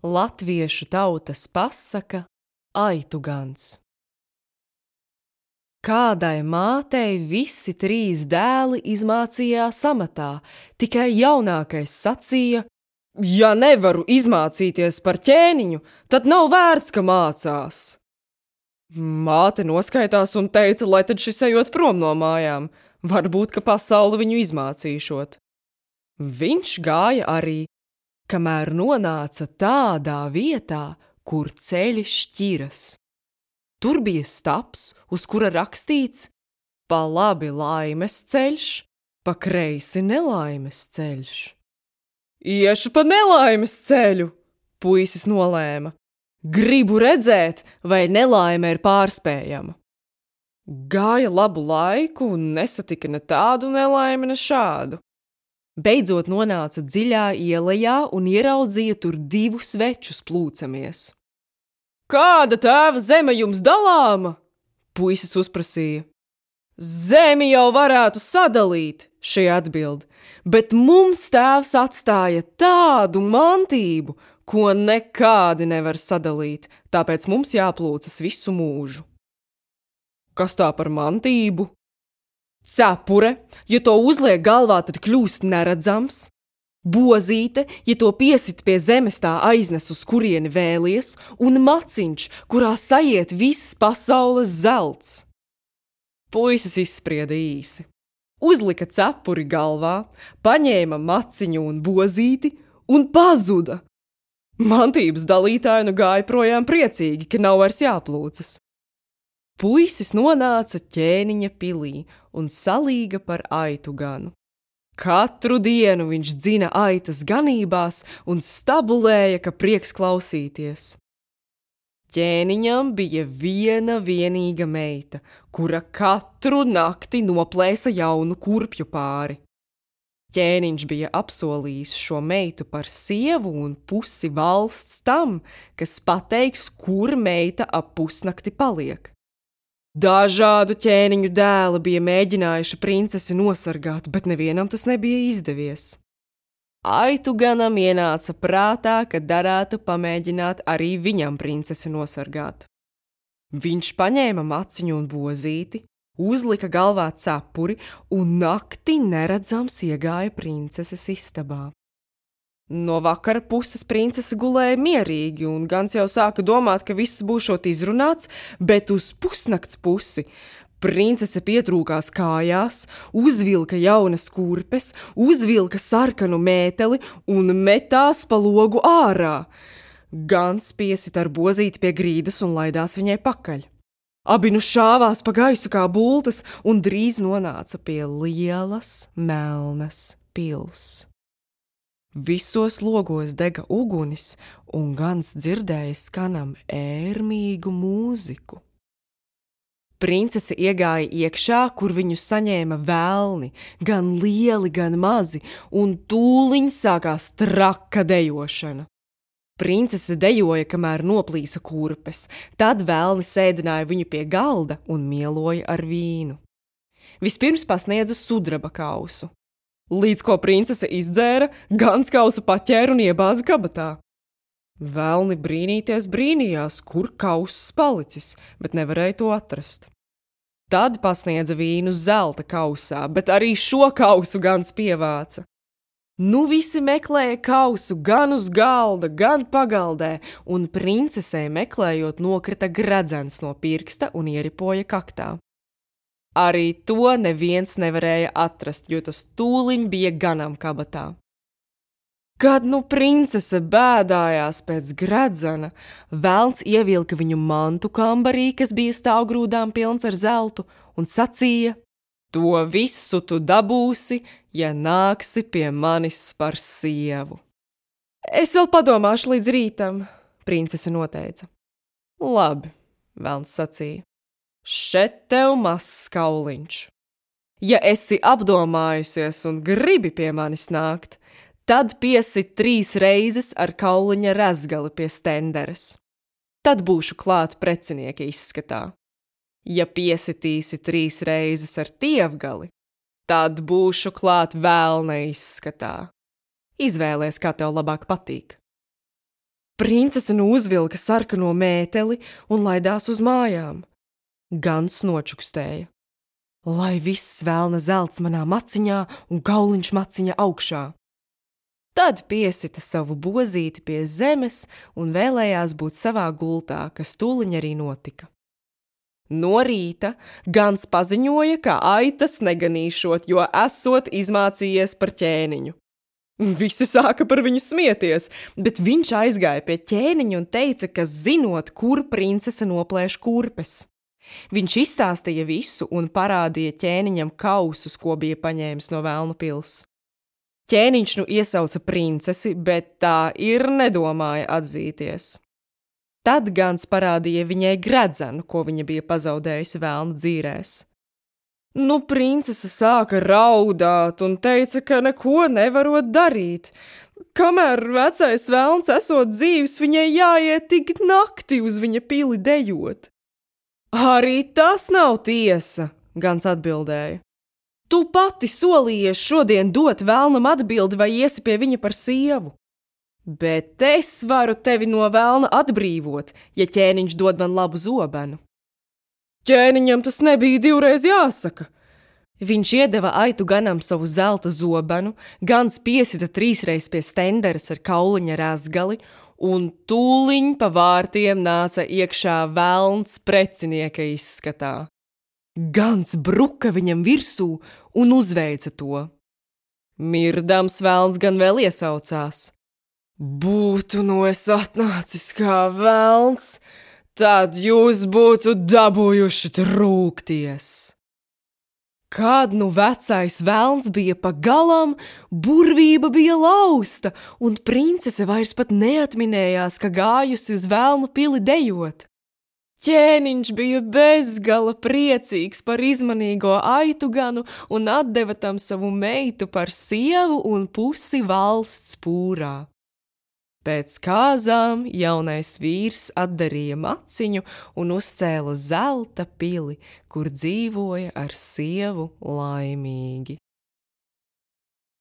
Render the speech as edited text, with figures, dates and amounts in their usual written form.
Latviešu tautas pasaka Aitu gans. Kādai mātei visi 3 dēli izmācījās amatā, tikai jaunākais sacīja: ja nevaru izmācīties par ķēniņu, tad nav vērts, ka mācās. Māte noskaitās un teica, lai tad šis ejot prom no mājām, varbūt, ka pasauli viņu izmācīšot. Viņš gāja arī, kamēr nonāca tādā vietā, kur ceļi šķiras. Tur bija staps, uz kura rakstīts: pa labi laimes ceļš, pa kreisi nelaimes ceļš. Iešu pa nelaimes ceļu, puisis nolēma. Gribu redzēt, vai nelaime ir pārspējama. Gāja labu laiku un nesatika ne tādu nelaimi, ne šādu. Beidzot nonāca dziļā ielejā un ieraudzīja tur 2 svečus plūcamies. Kāda tēva zeme jums dalāma? Puisis uzprasīja. Zemi jau varētu sadalīt, šī atbild, bet mums tēvs atstāja tādu mantību, ko nekādi nevar sadalīt, tāpēc mums jāplūcas visu mūžu. Kas tā par mantību? Cepure, ja to uzliek galvā, tad kļūst neredzams. Bozīte, ja to piesit pie zemes, tā aiznes, uz kurieni vēlies, un maciņš, kurā sajiet viss pasaules zelts. Puisis izsprieda īsi. Uzlika cepuri galvā, paņēma maciņu un bozīti un pazuda. Mantības dalītāji nu gāja projām priecīgi, ka nav vairs jāplūcas. Puisis nonāca ķēniņa pilī un salīga par aitu ganu. Katru dienu viņš dzina aitas ganībās un stabulēja, ka prieks klausīties. Ķēniņam bija viena vienīga meita, kura katru nakti noplēsa jaunu kurpju pāri. Ķēniņš bija apsolījis šo meitu par sievu un pusi valsts tam, kas pateiks, kur meita ap pusnakti paliek. Dažādu ķēniņu dēli bija mēģinājuši princesi nosargāt, bet nevienam tas nebija izdevies. Aitu ganam ienāca prātā, ka darētu pamēģināt arī viņam princesi nosargāt. Viņš paņēma maciņu un bozīti, uzlika galvā cepuri un nakti neredzams iegāja princeses istabā. No vakara puses princese gulēja mierīgi, un gans jau sāka domāt, ka viss būšot izrunāts, bet uz pusnakts pusi princese pietrūkās kājās, uzvilka jaunas kurpes, uzvilka sarkanu mēteli un metās pa logu ārā. Gans piesit ar bozīti pie grīdas un laidās viņai pakaļ. Abi nu šāvās pa gaisu kā bultas un drīz nonāca pie lielas, melnas pils. Visos logos dega ugunis, un gans dzirdēja skanam ērmīgu mūziku. Princese iegāja iekšā, kur viņu saņēma velni, gan lieli, gan mazi, un tūliņ sākās traka dejošana. Princese dejoja, kamēr noplīsa kurpes, tad velni sēdināja viņu pie galda un mieloja ar vīnu. Vispirms pasniedza sudraba kausu. Līdz ko princese izdzēra, gans kausu paķēra un iebāza kabatā. Velni brīnīties brīnījās, kur kauss palicis, bet nevarēja to atrast. Tad pasniedza vīnu zelta kausā, bet arī šo kausu gans pievāca. Nu visi meklēja kausu gan uz galda, gan pagaldē, un princesei meklējot nokrita gredzens no pirksta un ieripoja kaktā. Arī to neviens nevarēja atrast, jo tas tūliņ bija ganam kabatā. Kad nu princese bēdājās pēc gredzena, velns ievilka viņu mantu kambarī, kas bija stāvgrūdām pilns ar zeltu, un sacīja: to visu tu dabūsi, ja nāksi pie manis par sievu. Es vēl padomāšu līdz rītam, princese noteica. Labi, velns sacīja. Šet tev mazs kauliņš. Ja esi apdomājusies un gribi pie manis nākt, tad piesit 3 reizes ar kauliņa rezgali pie stenderes. Tad būšu klāt precinieka izskatā. Ja piesitīsi 3 reizes ar tievgali, tad būšu klāt velna izskatā. Izvēlies, kā tev labāk patīk. Princese nu uzvilka sarkano mēteli un laidās uz mājām. Gans nočukstēja. Lai viss velna zelts manā maciņā un kauliņš maciņa augšā. Tad piesita savu bozīti pie zemes un vēlējās būt savā gultā, kas tūliņ arī notika. No rīta Gans paziņoja, ka aitas neganīšot, jo esot izmācījies par ķēniņu. Visi sāka par viņu smieties, bet viņš aizgāja pie ķēniņa un teica, ka zinot, kur princese noplēš kurpes. Viņš izstāstīja visu un parādīja ķēniņam kausus, ko bija paņēmis no Velnu pils. Ķēniņš nu iesauca princesi, bet tā ir nedomāja atzīties. Tad Gans parādīja viņai gredzenu, ko viņa bija pazaudējusi Velnu dzīrēs. Nu, princese sāka raudāt un teica, ka neko nevarot darīt. Kamēr vecais velns esot dzīvs, viņai jāiet tik nakti uz viņa pili dejot. Arī tas nav tiesa, Gans atbildēja. Tu pati solījies šodien dot velnam atbildi vai iesi pie viņa par sievu. Bet es varu tevi no velna atbrīvot, ja ķēniņš dod man labu zobenu. Ķēniņam tas nebija divreiz jāsaka. Viņš iedeva aitu ganam savu zelta zobenu, Gans piesita 3 reizes pie stenderes ar kauliņa razgali, un tūliņ pa vārtiem nāca iekšā velns precinieka izskatā. Gans bruka viņam virsū un uzveica to. Mirdams velns gan vēl iesaucās. Būtu no es atnācis kā velns, tad jūs būtu dabūjuši trūkties. Kad nu vecais velns bija pa galam, burvība bija lausta, un princese vairs pat neatminējās, ka gājusi uz Velnu pili dejot. Ķēniņš bija bezgala priecīgs par izmanīgo aitu ganu un atdeva tam savu meitu par sievu un pusi valsts pūrā. Pēc kāzām jaunais vīrs atdarīja maciņu un uzcēla zelta pili, kur dzīvoja ar sievu laimīgi.